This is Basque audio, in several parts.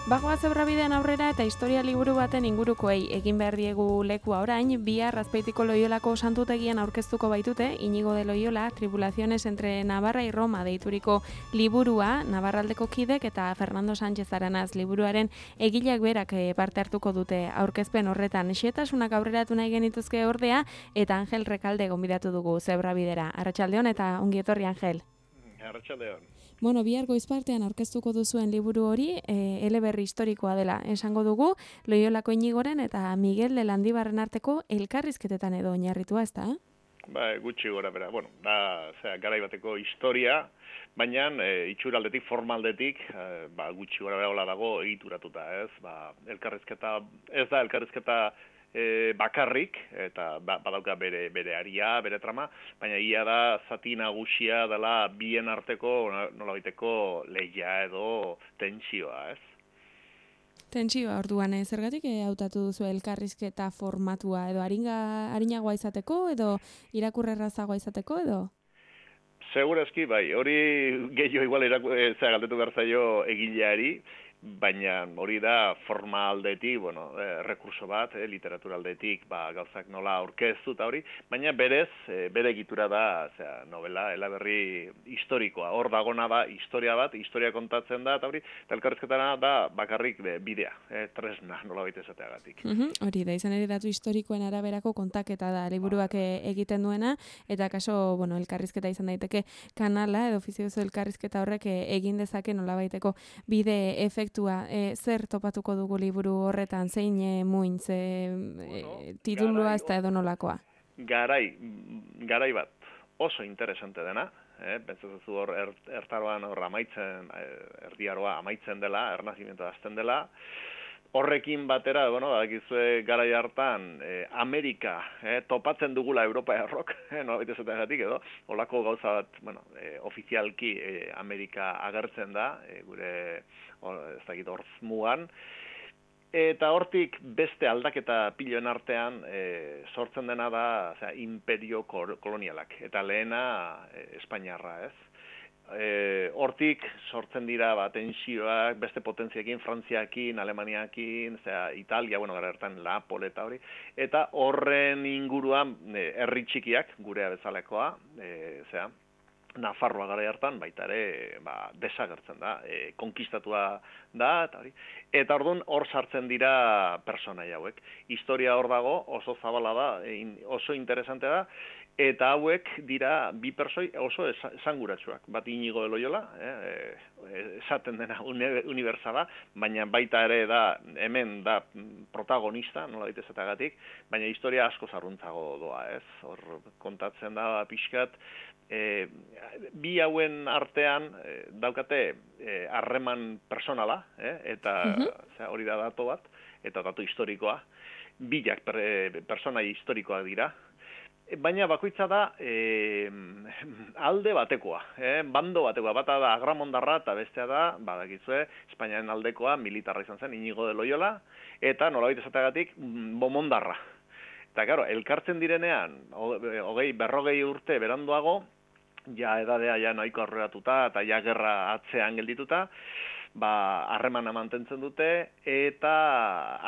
Bagoa Zebrabidean aurrera eta historia liburu baten ingurukoei egin behar diegu lekua orain, bihar Azpeitiko Loiolako santutegian aurkeztuko baitute, Iñigo de Loyola, Tribulaciones entre Navarra y Roma deituriko liburua, Navarraldeko kidek eta Fernando Sánchez Aranaz liburuaren egileak berak parte hartuko dute aurkezpen horretan. Xetasunak aurreratu nahi genituzke ordea, eta Angel Rekalde gonbidatu dugu Zebrabidera. Arratsaldeon eta ongi etorri, Angel. Arratsaldeon. Bueno, bihar goizpartean aurkeztuko duzuen liburu hori, eleberri historikoa dela esango dugu, Loiolako Iñigoren eta Miguel de Landibarren arteko elkarrizketetan edo oinarritua, ezta? Gutxi gora bera. Bueno, da, garai bateko historia, baina itxuraldetik, formaldetik, gutxi gora bera hola dago egituratuta, ez? Elkarrizketa, ez da elkarrizketa bakarrik, eta badauka bere aria, bere trama, baina ia da zati nagusia dela bien arteko nolabaiteko lehia edo tentsioa, ez? Tentsioa orduan, zergatik hautatu duzu elkarrizketa formatua, edo arinagoa izateko, edo irakurrerrazagoa izateko, edo? Segurazki, bai, hori gehiago igual galdetu behar zaio egileari, baina hori da forma aldetik, rekurso bat, literatura aldetik, gauzak nola aurkeztu eta hori, baina berez, bere egitura da, novela, eleberri historikoa, hor dagona da, historia bat, historia kontatzen da, eta hori, eta elkarrizketara da bakarrik bidea, tresna, nola baita esateagatik. Hori da, izan ere datu historikoen araberako kontaketa da, liburuak egiten duena, eta kaso, elkarrizketa izan daiteke kanala, edo ofiziozo elkarrizketa horrek egin dezake nola baiteko bide efektua. Zer topatuko dugu liburu horretan, zein muin, titulua ez da edo nolakoa? Garai bat oso interesante dena, pentsatzen hor ertaroan amaitzen, erdiaroa amaitzen dela, ernazimendua hasten dela, horrekin batera, badakizue garai hartan, Amerika topatzen dugula Europa errok, nolabait esateagatik edo, holako gauza bat, ofizialki Amerika agertzen da, gure, ez dakit horz mugan, eta hortik beste aldaketa piloen artean sortzen dena da imperio kolonialak, eta lehena Espainiarra, ez? Hortik sortzen dira tensioak, beste potentziakin, Frantziakin, Alemaniakin, Italia, gara hartan Napol eta hori, eta horren inguruan herri txikiak, gurea bezalekoa, Nafarroa gara hartan, baita ere desagertzen da, konkistatua da, eta hori. Eta orduan hor sartzen dira personai hauek. Historia hor dago, oso zabala da, oso interesante da, eta hauek dira bi persoi oso esanguratsuak. Bat Iñigo de Loyola, esaten dena unibertsala, baina baita ere da, hemen da protagonista, nola daitezatagatik, baina historia asko zarruntzago doa, ez? Hor kontatzen da pixkat, bi hauen artean daukate harreman personala, eta hori da dato bat, eta dato historikoa, bilak personai historikoak dira, baina bakoitza da alde batekoa, bando batekoa, bata da agramondarra eta bestea da, badakizue, Espainiaren aldekoa militarra izan zen, Iñigo de Loyola, eta nolabait esateagatik bomondarra. Eta, claro, elkartzen direnean, 40 urte beranduago, ja edadea ja nahiko aurreratuta eta ja gerra atzean geldituta, harremana mantentzen dute eta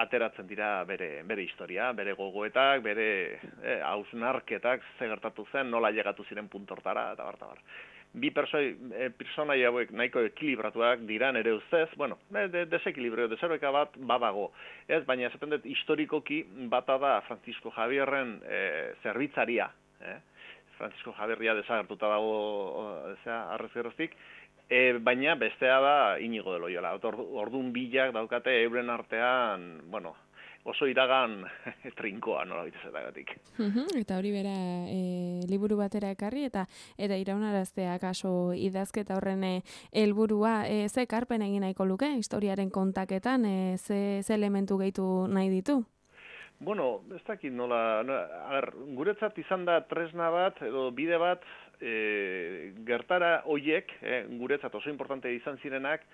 ateratzen dira bere historia, bere gogoetak, bere hausnarketak, ze gertatu zen, nola llegatu ziren puntortara, eta bar. Bi personai hauek nahiko ekilibratuak dira nere ustez, desekilibrio, deserbeka bat badago. Ez, baina esaten dut historikoki bata da Francisco Javierren zerbitzaria, Francisco Javierria desagertuta dago arrezgeroztik, baina bestea da Iñigo de Loyola. Orduan bilak daukate euren artean, oso iragan trinkoa, nola bitezatagatik. Eta hori bera liburu batera ekarri, eta iraunaraztea kaso idazketa horren helburua, ze ekarpen egin nahiko luke, historiaren kontaketan, ze elementu gehitu nahi ditu? Ez dakit nola, guretzat izan da tresna bat, edo bide bat, gertara hoiek, guretzat oso importante izan zirenak,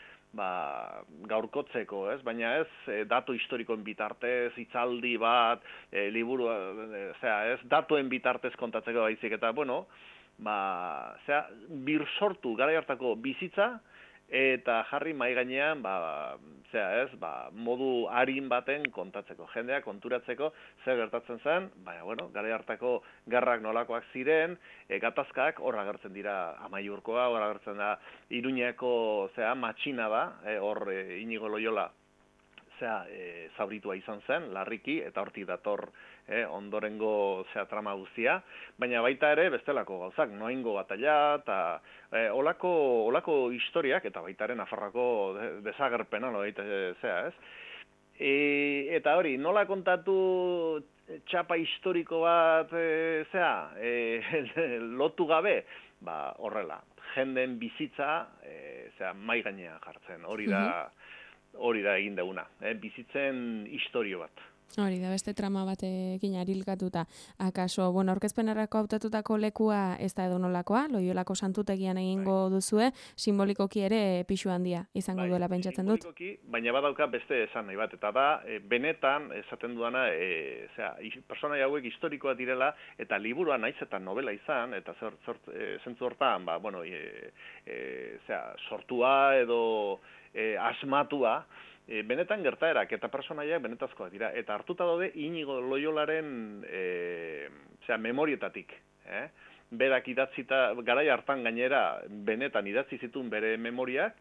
gaurkotzeko, ez? Baina ez datu historikoen bitartez, hitzaldi bat, liburu, ez datuen bitartez kontatzeko baizik, eta, birsortu gara hartako bizitza, eta jarri mai gainean modu arin baten kontatzeko, jendea konturatzeko zer gertatzen zen, garai hartako gerrak nolakoak ziren, gatazkak hor agertzen dira Amaiurkoa, hor agertzen da Iruñeko matxina da, hor Inigo Loyola zauritua izan zen, larriki, eta hortik dator ondorengo trama guztia, baina baita ere bestelako gauzak, Noaingo batalla, eta olako historiak, eta baita ere Nafarroako desagerpena, eta hori, nola kontatu txapa historiko bat, lotu gabe, horrela, jenden bizitza, mai gainean jartzen, hori da egin duguna, bizitzen historio bat. Hori da, beste trama batekin arilkatuta. Akaso, aurkezpenerako hautatutako lekua ez da edonolakoa, Loiolako santutegian egingo duzue, simbolikoki ere pixu handia izango duela pentsatzen dut. Simbolikoki, baina badauka beste esan nahi bat, eta da, benetan, esaten dudana, personai hauek historikoa direla, eta liburua naiz eta novela izan, eta zentzu hortan, sortua edo asmatua, benetan gertaerak eta personaiak benetazkoak dira. Eta hartuta daude Inigo Loyolaren memorietatik. Berak idatzita, garai hartan gainera, benetan idatzi zituen bere memoriak,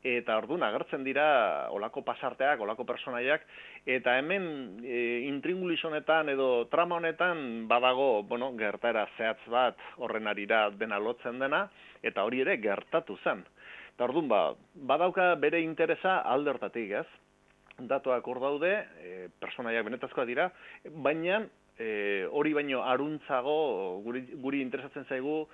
eta orduan agertzen dira olako pasarteak, olako personaiak, eta hemen intringulis honetan edo trama honetan badago, gertaera zehatz bat horren arira dena lotzen dena, eta hori ere gertatu zen. Eta orduan, badauka bere interesa alde hortatik, ez? Datuak hor daude, personaiak benetazkoak dira, baina hori baino aruntzago guri interesatzen zaigu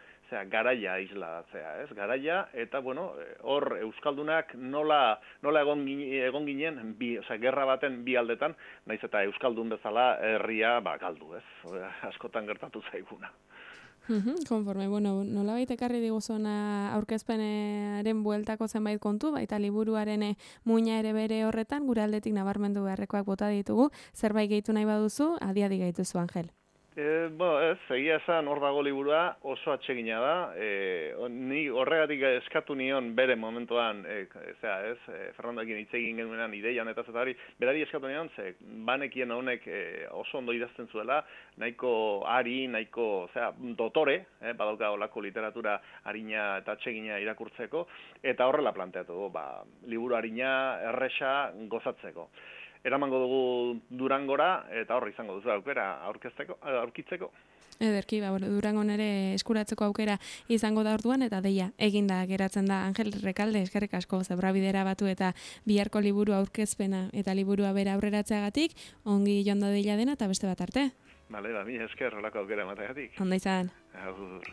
garaia islatzea, ez? Garaia, eta hor Euskaldunak nola egon ginen, gerra baten bi aldetan, naiz eta Euskaldun bezala herria galdu, ez? Askotan gertatu zaiguna. Konforme, nolabait ekarri diguzuna aurkezpenaren bueltako zenbait kontu, baita liburuaren muina ere bere horretan, gure aldetik nabarmendu beharrekoak bota ditugu, zerbait gehitu nahi baduzu, adi gehituzu, Angel. Egia esan hor dago liburua oso atsegina da, ni horregatik eskatu nion bere momentuan, Fernandoekin hitz egin genuenan ideia honetaz eta hori, berari eskatu nion, banekien honek oso ondo idazten zuela, nahiko ari, nahiko dotore, badauka olako literatura harina eta atsegina irakurtzeko, eta horrela planteatu du, liburu harina, erresa, gozatzeko. Eramango dugu Durangora, eta horre izango duzu aukera aurkitzeko. Ederki, Durangon ere eskuratzeko aukera izango da orduan, eta deia, eginda geratzen da. Angel Rekalde, eskerrik asko, Zebrabidera batu eta biharko liburu aurkezpena eta liburua bera aurreratzeagatik, ongi joan da deila dena eta beste bat arte. Bale, mi esker, holako aukera emateagatik. Ondo izan. Agur.